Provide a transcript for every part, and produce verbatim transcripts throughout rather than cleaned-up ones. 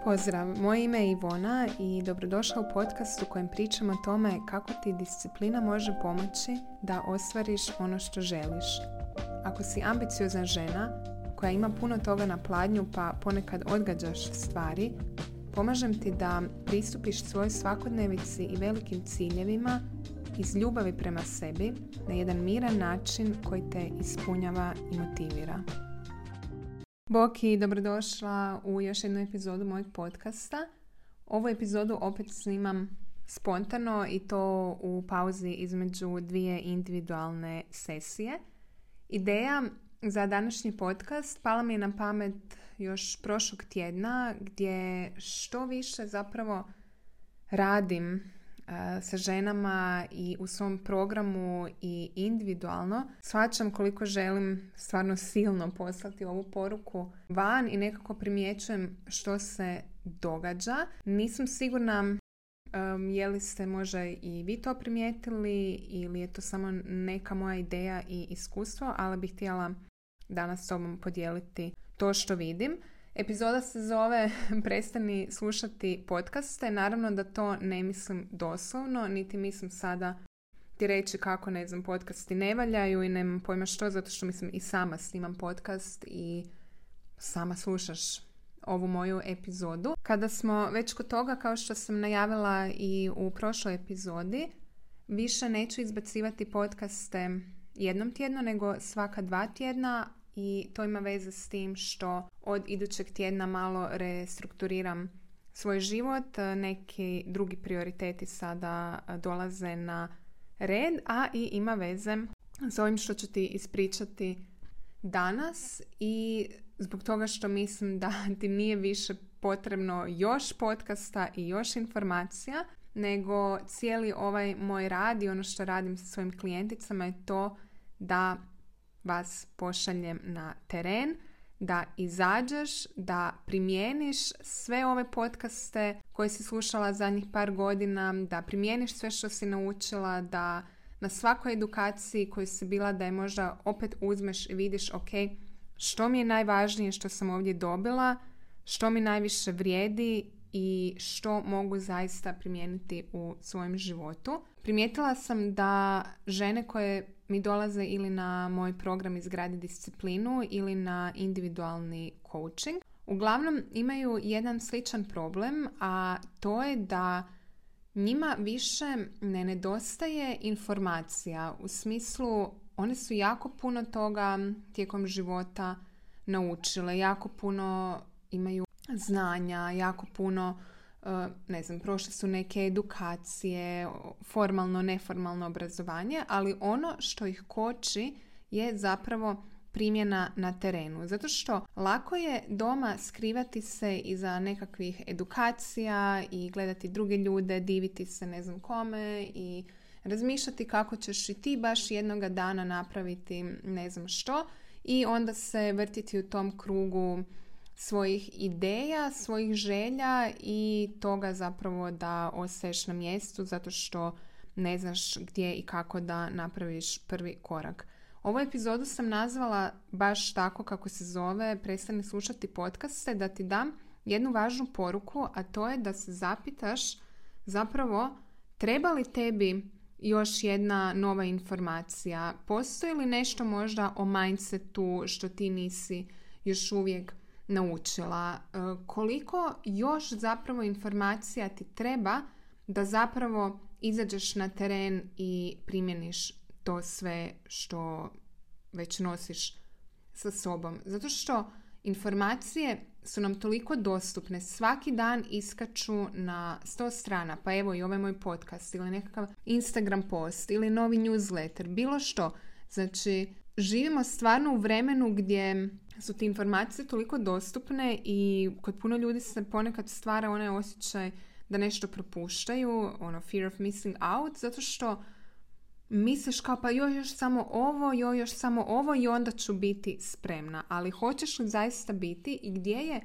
Pozdrav, moje ime je Ivona i dobrodošla u podcast u kojem pričam o tome kako ti disciplina može pomoći da ostvariš ono što želiš. Ako si ambiciozna žena koja ima puno toga na pladnju pa ponekad odgađaš stvari, pomažem ti da pristupiš svojoj svakodnevici i velikim ciljevima iz ljubavi prema sebi na jedan miran način koji te ispunjava i motivira. Bok i dobrodošla u još jednu epizodu mojeg podcasta. Ovu epizodu opet snimam spontano i to u pauzi između dvije individualne sesije. Ideja za današnji podcast pala mi je na pamet još prošlog tjedna gdje što više zapravo radim sa ženama i u svom programu i individualno, shvaćam koliko želim stvarno silno poslati ovu poruku van i nekako primjećujem što se događa. Nisam sigurna um, je li ste možda i vi to primijetili ili je to samo neka moja ideja i iskustvo, ali bih htjela danas s tobom podijeliti to što vidim. Epizoda se zove Prestani slušati podcaste. Naravno da to ne mislim doslovno, niti mislim sada ti reći kako, ne znam, podcasti ne valjaju i nemam pojma što, zato što mislim i sama snimam podcast i sama slušaš ovu moju epizodu. Kada smo već kod toga, kao što sam najavila i u prošloj epizodi, više neću izbacivati podcaste jednom tjedno, nego svaka dva tjedna. I to ima veze s tim što od idućeg tjedna malo restrukturiram svoj život. Neki drugi prioriteti sada dolaze na red, a i ima veze s ovim što ću ti ispričati danas. I zbog toga što mislim da ti nije više potrebno još podcasta i još informacija, nego cijeli ovaj moj rad i ono što radim sa svojim klijenticama je to da vas pošaljem na teren, da izađeš, da primijeniš sve ove podcaste koje si slušala zadnjih par godina, da primijeniš sve što si naučila, da na svakoj edukaciji koju si bila da je možda opet uzmeš i vidiš ok, što mi je najvažnije što sam ovdje dobila, što mi najviše vrijedi i što mogu zaista primijeniti u svojem životu. Primijetila sam da žene koje mi dolaze ili na moj program Izgradi disciplinu ili na individualni coaching, uglavnom imaju jedan sličan problem, a to je da njima više ne nedostaje informacija. U smislu, one su jako puno toga tijekom života naučile, jako puno imaju znanja, jako puno, ne znam, prošle su neke edukacije, formalno, neformalno obrazovanje, ali ono što ih koči je zapravo primjena na terenu. Zato što lako je doma skrivati se iza nekakvih edukacija i gledati druge ljude, diviti se ne znam kome i razmišljati kako ćeš i ti baš jednoga dana napraviti ne znam što i onda se vrtiti u tom krugu svojih ideja, svojih želja i toga zapravo da ostaješ na mjestu zato što ne znaš gdje i kako da napraviš prvi korak. Ovu epizodu sam nazvala baš tako kako se zove Prestani slušati podcaste, da ti dam jednu važnu poruku, a to je da se zapitaš zapravo treba li tebi još jedna nova informacija, postoji li nešto možda o mindsetu što ti nisi još uvijek naučila, koliko još zapravo informacija ti treba da zapravo izađeš na teren i primjeniš to sve što već nosiš sa sobom. Zato što informacije su nam toliko dostupne, svaki dan iskaču na sto strana, pa evo i ovaj moj podcast ili nekakav Instagram post ili novi newsletter, bilo što. Znači, živimo stvarno u vremenu gdje su ti informacije toliko dostupne i kod puno ljudi se ponekad stvara onaj osjećaj da nešto propuštaju, ono fear of missing out, zato što misliš kao pa joj još samo ovo, joj još samo ovo i onda ću biti spremna. Ali hoćeš li zaista biti i gdje je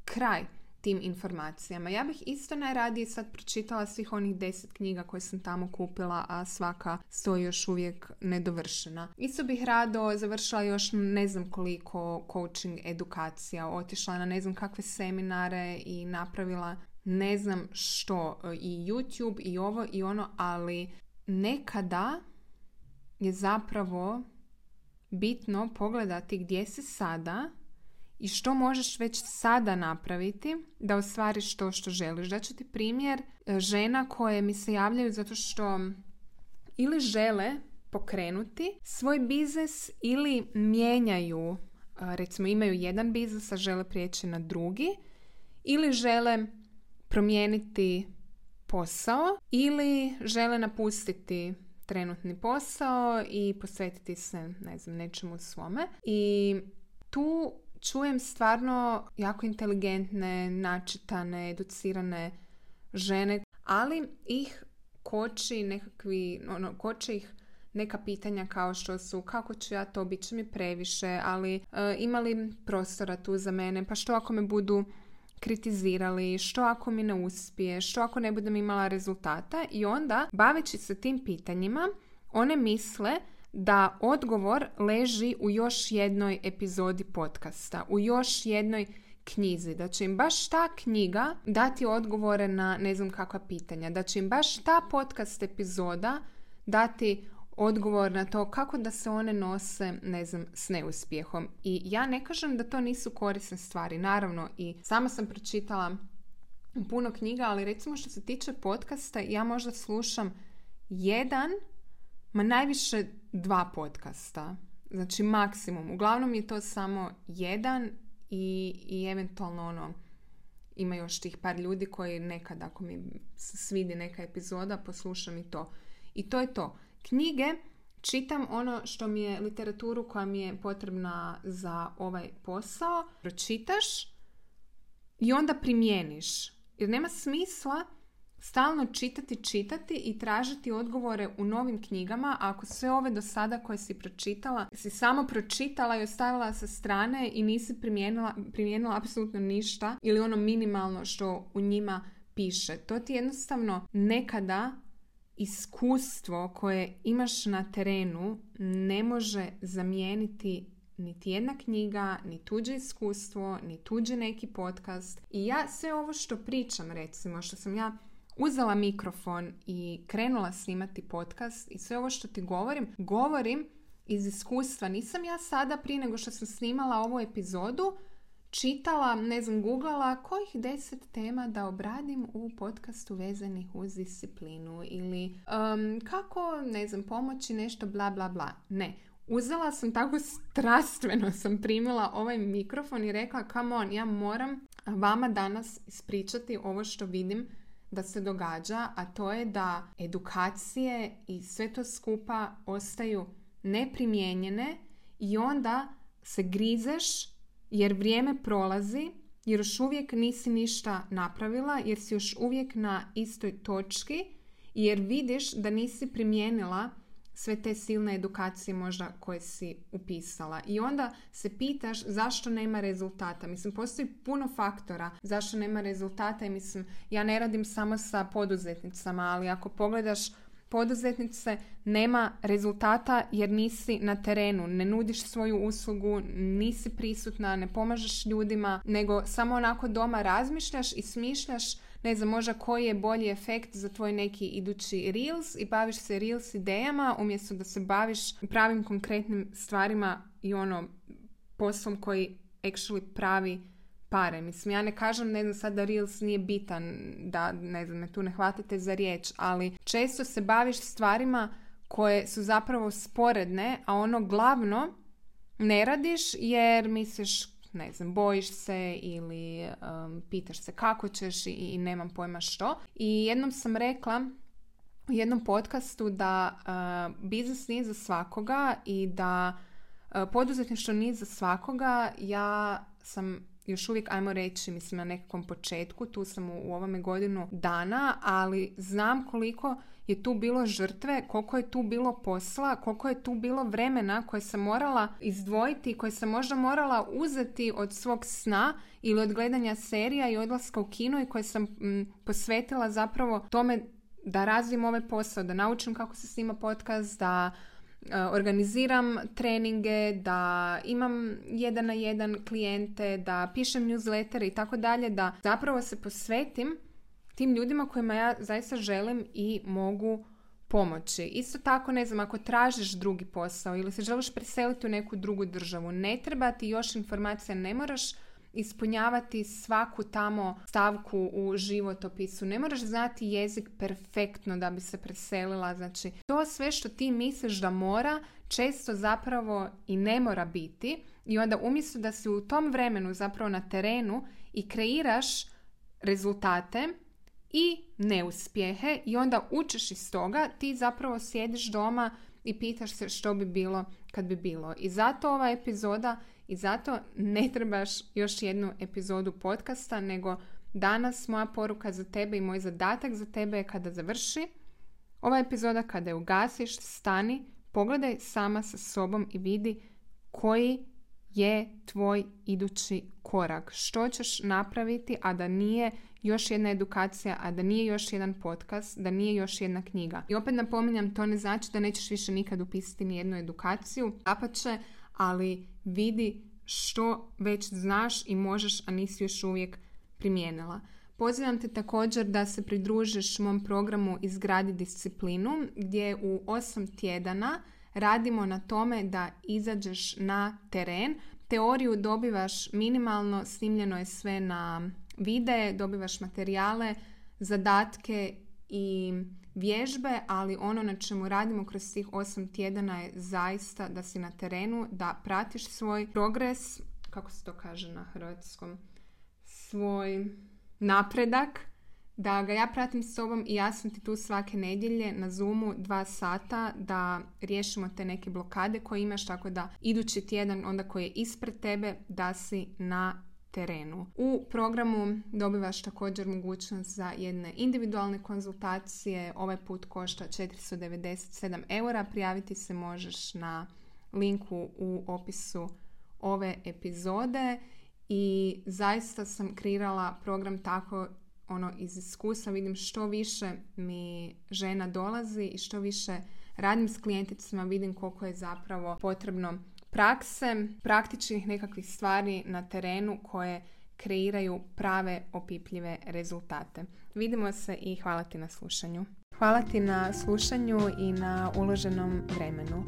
kraj tim informacijama. Ja bih isto najradije sad pročitala svih onih deset knjiga koje sam tamo kupila, a svaka stoji još uvijek nedovršena. Isto bih rado završila još ne znam koliko coaching edukacija, otišla na ne znam kakve seminare i napravila ne znam što, i YouTube i ovo i ono, ali nekada je zapravo bitno pogledati gdje si sada i što možeš već sada napraviti da ostvariš to što želiš. Daću ti primjer žena koje mi se javljaju zato što ili žele pokrenuti svoj biznis ili mijenjaju, recimo imaju jedan biznis, a žele prijeći na drugi, ili žele promijeniti posao ili žele napustiti trenutni posao i posvetiti se, ne znam, nečemu svome. I tu čujem stvarno jako inteligentne, načitane, educirane žene, ali ih koči nekakvi, ono, koče ih neka pitanja kao što su kako ću ja to, bit će mi previše, ali e, ima li prostora tu za mene, pa što ako me budu kritizirali, što ako mi ne uspije, što ako ne budem imala rezultata. I onda, baveći se tim pitanjima, one misle da odgovor leži u još jednoj epizodi podcasta, u još jednoj knjizi, da će im baš ta knjiga dati odgovore na ne znam kakva pitanja, da će im baš ta podcast epizoda dati odgovor na to kako da se one nose, ne znam, s neuspjehom. I ja ne kažem da to nisu korisne stvari, naravno, i sama sam pročitala puno knjiga, ali recimo što se tiče podcasta, ja možda slušam jedan, ma najviše dva podcasta. Znači maksimum. Uglavnom je to samo jedan i, i eventualno ono, ima još tih par ljudi koji nekad, ako mi se svidi neka epizoda, poslušam i to. I to je to. Knjige čitam ono što mi je, literaturu koja mi je potrebna za ovaj posao, pročitaš i onda primjeniš. Jer nema smisla stalno čitati, čitati i tražiti odgovore u novim knjigama, a ako sve ove do sada koje si pročitala, si samo pročitala i ostavila sa strane i nisi primijenila, primijenila apsolutno ništa ili ono minimalno što u njima piše. To ti jednostavno nekada iskustvo koje imaš na terenu ne može zamijeniti niti jedna knjiga, ni tuđe iskustvo, ni tuđi neki podcast. I ja sve ovo što pričam, recimo, što sam ja uzela mikrofon i krenula snimati podcast i sve ovo što ti govorim, govorim iz iskustva. Nisam ja sada prije nego što sam snimala ovu epizodu čitala, ne znam, googlala kojih deset tema da obradim u podcastu vezanih uz disciplinu ili um, kako, ne znam, pomoći nešto bla bla bla. Ne. Uzela sam tako strastveno sam primila ovaj mikrofon i rekla come on, ja moram vama danas ispričati ovo što vidim da se događa, a to je da edukacije i sve to skupa ostaju neprimijenjene i onda se grizeš jer vrijeme prolazi, jer još uvijek nisi ništa napravila, jer si još uvijek na istoj točki, jer vidiš da nisi primijenila sve te silne edukacije možda koje si upisala. I onda se pitaš zašto nema rezultata. Mislim, postoji puno faktora zašto nema rezultata i mislim, ja ne radim samo sa poduzetnicama, ali ako pogledaš poduzetnice, nema rezultata jer nisi na terenu, ne nudiš svoju uslugu, nisi prisutna, ne pomažeš ljudima, nego samo onako doma razmišljaš i smišljaš, ne znam, možda koji je bolji efekt za tvoj neki idući Reels i baviš se Reels idejama umjesto da se baviš pravim konkretnim stvarima i ono poslom koji actually pravi pare. Mislim, ja ne kažem, ne znam, sad da Reels nije bitan, da, ne znam, me tu ne hvatite za riječ, ali često se baviš stvarima koje su zapravo sporedne, a ono glavno ne radiš jer misliš, ne znam, bojiš se ili um, pitaš se kako ćeš i, i nemam pojma što. I jednom sam rekla u jednom podcastu da uh, biznis nije za svakoga i da uh, poduzetništvo nije za svakoga. Ja sam još uvijek, ajmo reći, mislim na nekakvom početku, tu sam u, u ovome godinu dana, ali znam koliko je tu bilo žrtve, koliko je tu bilo posla, koliko je tu bilo vremena koje sam morala izdvojiti, koje sam možda morala uzeti od svog sna ili od gledanja serija i odlaska u kino i koje sam m, posvetila zapravo tome da razvijem ovaj posao, da naučim kako se snima podcast, da organiziram treninge, da imam jedan na jedan klijente, da pišem newslettere i tako dalje, da zapravo se posvetim tim ljudima kojima ja zaista želim i mogu pomoći. Isto tako, ne znam, ako tražiš drugi posao ili se želiš preseliti u neku drugu državu, ne treba ti još informacija, ne moraš ispunjavati svaku tamo stavku u životopisu. Ne moraš znati jezik perfektno da bi se preselila. Znači, to sve što ti misliš da mora, često zapravo i ne mora biti. I onda umjesto da si u tom vremenu zapravo na terenu i kreiraš rezultate i neuspjehe i onda učiš iz toga, ti zapravo sjediš doma i pitaš se što bi bilo kad bi bilo. I zato ova epizoda I zato ne trebaš još jednu epizodu podcasta, nego danas moja poruka za tebe i moj zadatak za tebe je kada završi ova epizoda, kada je ugasiš, stani, pogledaj sama sa sobom i vidi koji je tvoj idući korak. Što ćeš napraviti, a da nije još jedna edukacija, a da nije još jedan podcast, da nije još jedna knjiga. I opet napominjam, to ne znači da nećeš više nikad upisati ni jednu edukaciju, dapače, ali vidi što već znaš i možeš, a nisi još uvijek primijenila. Pozivam te također da se pridružiš mom programu Izgradi disciplinu, gdje u osam tjedana radimo na tome da izađeš na teren. Teoriju dobivaš minimalno, snimljeno je sve na videe, dobivaš materijale, zadatke i vježbe, ali ono na čemu radimo kroz tih osam tjedana je zaista da si na terenu, da pratiš svoj progres, kako se to kaže na hrvatskom, svoj napredak, da ga ja pratim s sobom i ja sam ti tu svake nedjelje na Zoomu dva sata da riješimo te neke blokade koje imaš, tako da idući tjedan onda koji je ispred tebe da si na terenu. U programu dobivaš također mogućnost za jedne individualne konzultacije. Ovaj put košta četiristo devedeset sedam eura. Prijaviti se možeš na linku u opisu ove epizode i zaista sam kreirala program tako ono iz iskustva. Vidim što više mi žena dolazi i što više radim s klijenticama, vidim koliko je zapravo potrebno prakse, praktičnih nekakvih stvari na terenu koje kreiraju prave opipljive rezultate. Vidimo se i hvala ti na slušanju. Hvala ti na slušanju i na uloženom vremenu.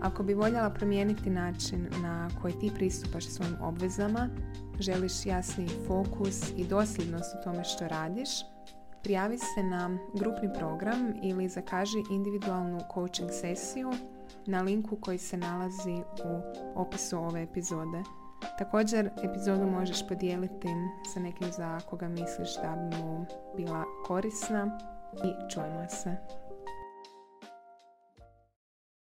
Ako bi voljela promijeniti način na koji ti pristupaš svojim obvezama, želiš jasniji fokus i dosljednost u tome što radiš, prijavi se na grupni program ili zakaži individualnu coaching sesiju na linku koji se nalazi u opisu ove epizode. Također, epizodu možeš podijeliti sa nekim za koga misliš da bi mu bila korisna i čujemo se.